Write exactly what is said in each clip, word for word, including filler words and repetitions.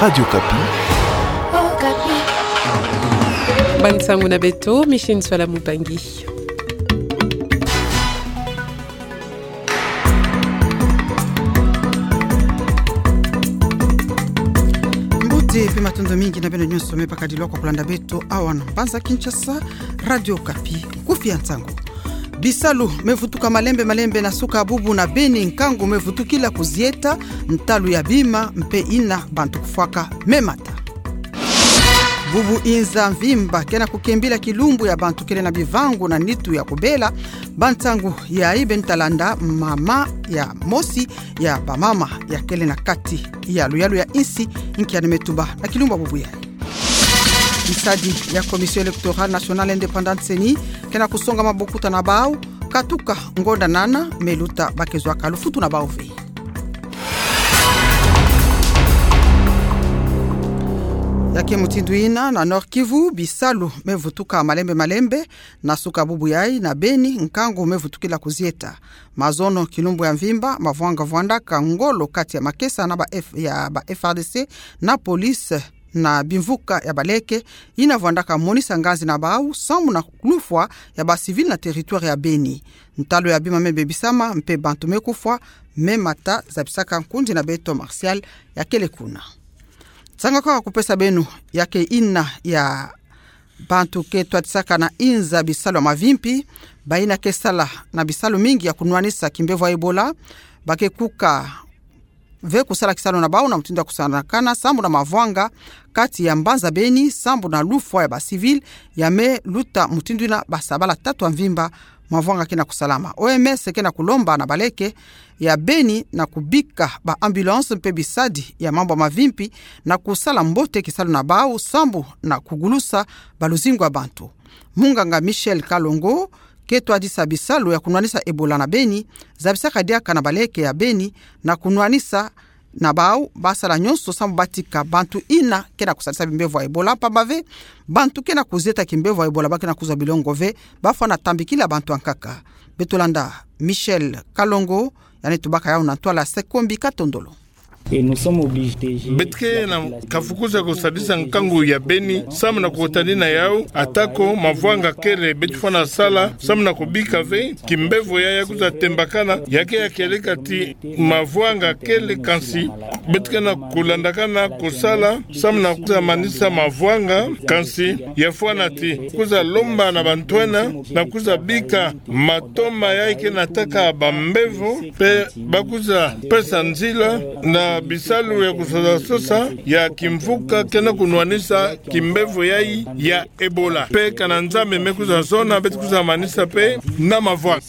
Radio Okapi. Okapi. Bansangu na beto, Micheline Swala Mubangi. Mbote mpe matondo mingi na beno nyonso me bakadilwa kwa kulanda beto awa na mbanza Kinshasa, Radio Okapi, nkufi ya nsangu. Bisalu me vutuka malembe malembe na suka bubu na Beni, nkangu me vutukila kuzieta, ntalu ya bima mpe ina bantu kufwaka me mata. Bubu inza mvimba kena kukembila kilumbu ya bantu kele na bivangu na nitu ya kubela. Bansangu yayi beno ta landa mama ya mosi ya bamama ya kele na kati ya luyalu ya insi, nkia ni me tuba na kilumbu ya bubu yayi. Misadi ya Commission Électorale Nationale Indépendante, CENI, kena kusonga mabokuta na bau, katuka ngonda nana me luta bakezwaka lufutu na bau ve. Ya ke mutindu ina na Nord-Kivu, bisalu me vutuka malembe malembe na suka bubu yayi na Beni, nkangu me vutukila kuzieta. Mazono kilumbu ya mvimba, mavwanga vwandaka ngolo kati ya makesa na ba F-, ya ba F R D C na police na bimvuka ya baleke, ina vwandaka monisa nganzi na bau sambu na lufwa ya ba civil na territoire ya Beni. Ntalu ya bima me bebisama mpe bantu me kufwa, me mata, zabisaka nkundi na beto Martial ya kele kuna. Nsanga kwa kupesa beno ya ke ina ya bantu ke twadisaka na inza bisalu ya mavimpi, bayina ke sala na bisalu mingi ya kunwanisa kimbevo ya Ebola, ba ke kuka ve kusala kisalu na bau na mutindu ya kusanakana sambu na mavwanga kati ya mbanza Beni, sambu na lufwa ya ba civil ya me luta mutindu ina ba sabala tatu ya mvimba mavwanga kena kusalama. O M S kena kulomba na baleke ya Beni na kubika ba ambulance mpe bisadi ya mambu ya mavimpi na kusala mbote kisalu na bau sambu na kugulusa ba luzingu ya bantu. Munganga Michel Kalongo ke twadisa bisalu ya kunwanisa Ebola na Beni, zabisaka diaka na baleke ya Beni na kunwanisa na bau ba sala nyonso sambu ba tika bantu ina kena kusalisa bimbevo ya Ebola, pamba ve bantu kena kuzieta kimbevo ya Ebola ba kena kuzwa bilongo ve, ba fwana tambikila bantu ya nkaka. Beto landa Michel Kalongo, yandi tubaka yawu na ntwala Sekombi Katondolo. Beto ke na kafukusa kusadisa nkangu ya Beni sambu na kukutani na yawu, atako mavwanga kele, beto fwana sala sambu na kubika ve kimbevo yayi ya kwiza tembakana, ya ke ya kieleka ti mavwanga kele, kansi beto ke na kulandakana kusala sambu na kwiza manisa mavwanga, kansi ya fwana ti kwiza lomba na bantu ena na kwiza bika matoma yayi ke nataka bambevo, mpe ba kwiza pesa nzila na bisalu ya kusosasosa ya kimvuka kena kunwanisa kimbevo yayi ya Ebola. Mpe kana Nzambi me kwiza zona, beto kwiza manisa mpe na mavwanga.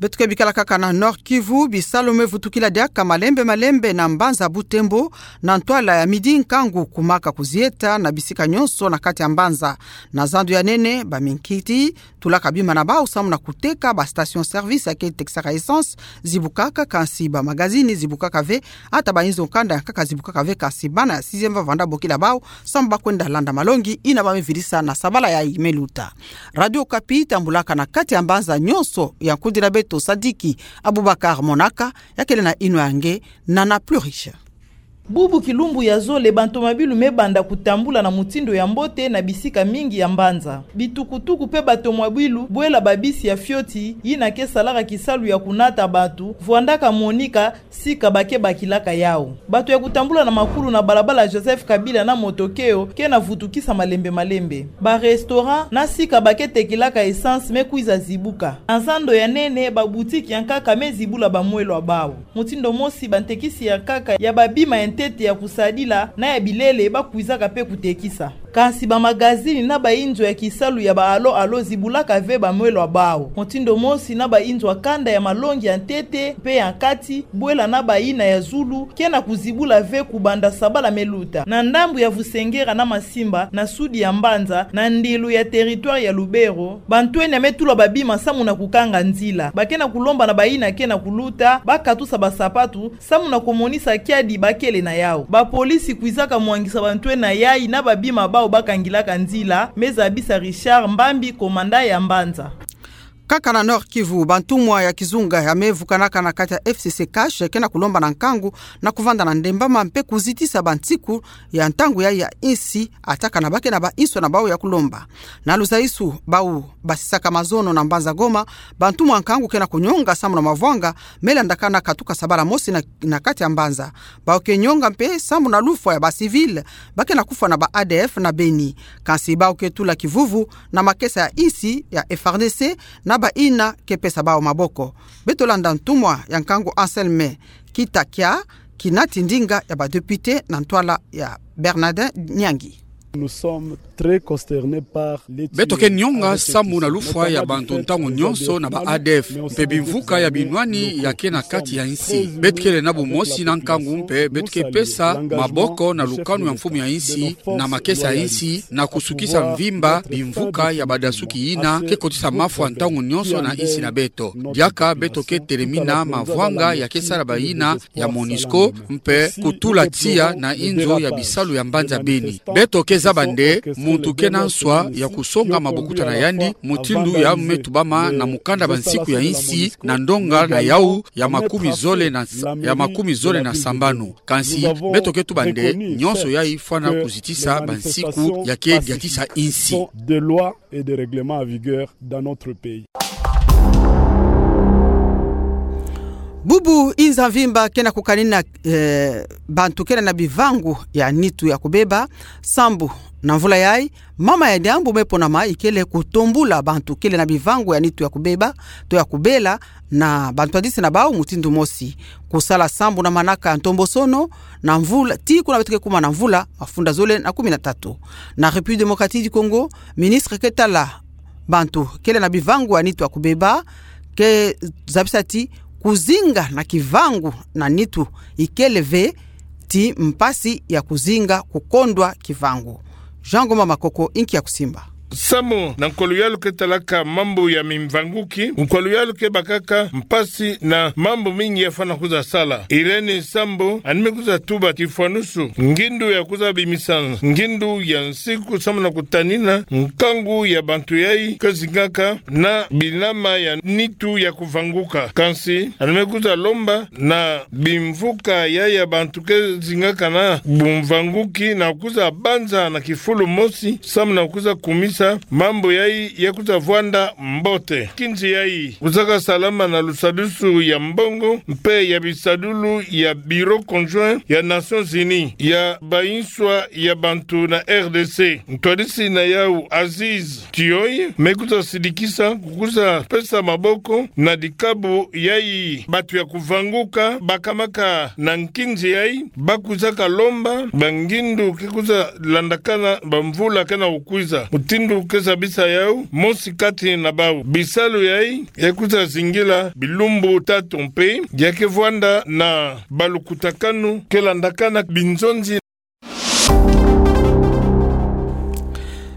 Beto ke bikala kaka na Nord-Kivu, bisalu me vutukila diaka malembe malembe na mbanza Butembo, na ntwala ya midi nkangu kumaka kuzieta na bisika nyonso na kati ya mbanza. Na zandu ya nene, ba minkiti tulaka bima na bau sambu na kuteka, ba station-service ya ke tekisaka essence zibukaka, kansi ba magazini zibukaka ve, ata ba inzo kanda ya nkaka zibukaka ve, kansi bana ya sixième ba vanda bokila bau sambu ba kwenda landa malongi ina ba me vidisa na sabala yayi me luta. Radio Okapi tambulaka na kati ya mbanza nyonso ya nkundi na beto Sadiki Abubakar Monaka, ya kele na yinwa ya nge Nana Plus Riche. Bubu kilumbu ya zole, bantu mabilu me banda kutambula na mutindu ya mbote na bisika mingi ya mbanza. Bitukutuku mpe bato mabilu, bwela ba bisi ya fioti yina ke salaka kisalu ya kunata bato, vwandaka monika sika ba ke bakilaka yawu. Bato ya kutambula na makulu na balabala Joseph Kabila na moto keo ke na vutukisa malembe malembe. Ba restaurant na sika ba ke tekilaka essence me kwiza zibuka. Na zando ya nene, ba boutique ya nkaka me zibula ba mwelo ya bawu. Mutindu mosi, bantekisi ya nkaka ya ba bima ya ntete ya kusadila na ya bilele ba kwizaka mpe kutekisa. Kansi ba magazini na ba inzo ya kisalu ya ba alo-alo zibulaka ve ba mwelo ya bawu. Mutindu mosi na ba inzo ya kanda ya malongi ya ntete mpe ya nkati, bwela na ba yina ya zulu, ke na kuzibula ve kubanda sabala me luta. Na ndambu ya Vusengera na Masimba, na sudi ya mbanza, na ndilu ya territoire ya Lubero, bantu ena me tula ba bima samu na kukanga nzila. Ba ke na kulomba na ba yina ke na kuluta ba katusa ba sapatu, samu na kumonisa kiadi ba kele na yawu. Ba polisi kwizaka mwangisa bantu ena yayi na ba bima bawu ba kangilaka nzila, me zabisa Richard Mbambi, komanda ya mbanza. Kaka na Nord-Kivu, bantumwa ya kizunga ya me vukanaka na kati ya F C C CACH ke na kulomba na nkangu na kuvanda na ndembama mpe kuzitisa bansiku ya ntangu ya, ya insi, ata kana ba ke na ba inso na bau ya kulomba. Na luzaisu bau basisaka mazono na mbanza Goma, bantumwa nkangu ke na kunyonga sambu na mavwanga me landakana katuka sabala mosi na, na kati ya mbanza. Bau ke nyonga mpe sambu na lufwa ya ba civil ba ke na kufwa na ba A D F na Beni. Kansi bau ke tula kivuvu na makesa ya insi ya F R D C na bayina ke pesa bau maboko. Beto landa ntumwa ya nkangu Anselme Kitakia, kinati ndinga ya ba député na ntwala ya Bernardin Nyangi. Nous sommes très consternés par les... Beto ke nyonga sambu na lufwa ya bantu ntangu nyonso na ba A D F, mpe bimvuka ya binwani ya ke na kati ya insi. Beto kele na bumosi na nkangu mpe beto ke pesa maboko na lukanu ya mfumu ya insi, na makesa ya insi, na kusukisa mvimba bimvuka ya badasuki yina ke kotisa mafwa ntangu nyonso na insi na beto. Diaka beto ke telemina mavwanga ya ke sala bayina ya MONUSCO, mpe kutula tiya na inzo ya bisalu ya mbanza Beni. Beto ke zaba nde muntu ke na nswa ya kusonga mabokuta na yandi, mutindu ya me tubama na mukanda Bansiku ya Insi, na ndonga na yau ya makumi zole na, ya makumi zole na sambanu. Kansi beto ke tuba nde nyonso yai fwana kuzitisa bansiku ya ke diatisa insi. De loi et de règlement en vigueur dans notre pays. Bubu inza mvimba ke na kukanina, eh, bantu kele na bivangu ya nitu ya kubeba, sambu na mvula yai, mama ya diambu me ponama ikele kutombula bantu kele na bivangu ya nitu ya kubeba, to ya kubela, na bantu badisi na bau mutindu mosi. Kusala sambu na manaka ya ntombosono na mvula, tii kuna beto ke kuma na mvula mafunda zole na kumi na tatu. Na République Démocratique du Congo, ministre ke tala bantu kele na bivangu ya nitu ya kubeba ke zabisa ti kuzinga na kivangu na nitu ikele ve ti mpasi ya kuzinga kukondwa kivangu. Jean Ngoma Makoko, inki ya kusimba. Sambu na nkolo yalu ke talaka mambu ya mimvanguki, nkolo yalu ke bakaka mpasi na mambu mingi ya fwana kuza sala. Irène Sambu, yandi me kuza tuba kifwanusu ngindu ya kuza bimisa ngindu ya nsiku sambu na kutanina nkangu ya bantu yai ke zingaka na binama ya nitu ya kuvanguka. Kansi yandi me kuza lomba na bimvuka yai ya bantu ke zingaka na bumvanguki na kuza banza na kifulu mosi sambu na kuza kumisa mambu yai ya kuza vwanda mbote. Nkinzi yai kuzaka salama na lusadisu ya mbongo mpe ya bisadulu ya Bureau Conjoint ya Nations Unies ya bainswa ya bantu na R D C. Ntwadisi na yau Aziz Tioy me kuza sidikisa kukuza pesa maboko na dikabu yai bantu ya kuvanguka bakamaka na nkinzi yai, ba kuzaka lomba bangindu ke kuza landakana bamvula ke na kukwiza. Mutindu ke zabisa yau mosi kati na bau, bisalu yai ya kuza zingila bilumbu tatu mpe ya ke vwanda na balukutakanu ke landakana binzonzi.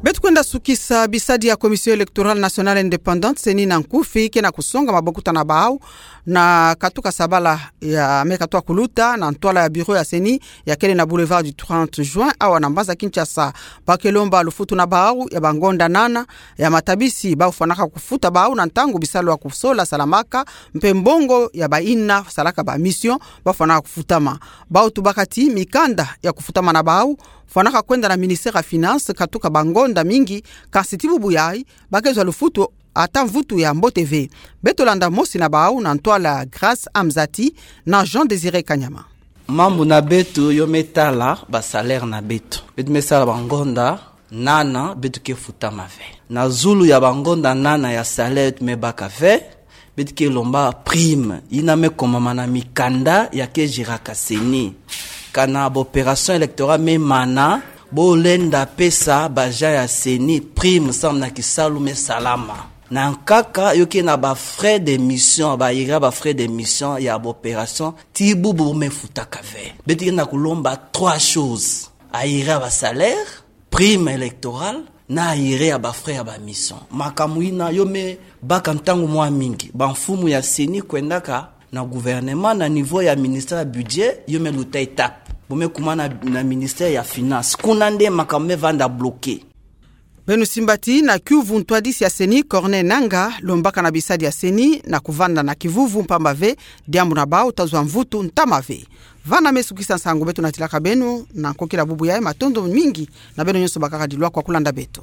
Beto kwenda sukisa bisadi ya Commission Électorale Nationale Indépendante, CENI na nkufi, ke na kusonga mabokuta na bau na katuka sabala ya me katuka kuluta na ntwala ya bureau ya CENI ya kele na boulevard du trente juin, awa na mbanza Kinshasa. Ba ke lomba lufutu na bau ya bangonda nana ya matabisi bau fwanaka kufuta bau na ntangu bisalu ya kusola salamaka, mpe mbongo ya bayina salaka ba mission bau fwanaka kufutama. Bau tubaka ti mikanda ya kufutama na bau fwanaka kwenda na ministère ya Finances katuka bangonda mingi, kansi ti bubu yai ba ke zwa lufutu ata mvutu ya mbote ve. Beto landa mosi na bau na ntwala Grâce Amzati na Jean Désiré Kanyama. Mambu na beto yo me tala ba salaire na beto. Beto me sala bangonda nana, beto ke futama ve. Na zulu ya bangonda nana ya salaire beto me baka ve, beto ke lomba prime yina me komama na mikanda ya ke jiraka CENI. Kana ba opération électorale me mana, bo lenda pesa ba agent ya CENI prime sambu na kisalu me salama. Na nkaka yo ke na ba frais de mission, ba arriérés ya ba frais de mission ya ba opération, ti bubu bo me futaka ve. Beto ke na kulomba trois choses: arriérés ya ba salaire, prime électorale, na arriérés ya ba frais ya ba mission. Makambu yina yo me baka ntangu mwa mingi. Bamfumu ya CENI kwendaka na gouvernement na niveau ya ministère ya budget, yo me luta étape. Bo me kuma na, na ministère ya Finances. Kuna nde makambu me vanda bloqué. Beno simbati na kiuvu ntwadisi ya seni Corneille Nangaa, lombaka na bisadi ya seni na kuvanda na kivuvu mpamba ve, diambu na bau tazwa mvutu ntama ve. Vana me sukisa nsangu beto natilaka beno na nkokila bubu yayi, matondo mingi na beno nyonso bakaka dilwa kwa kulanda beto.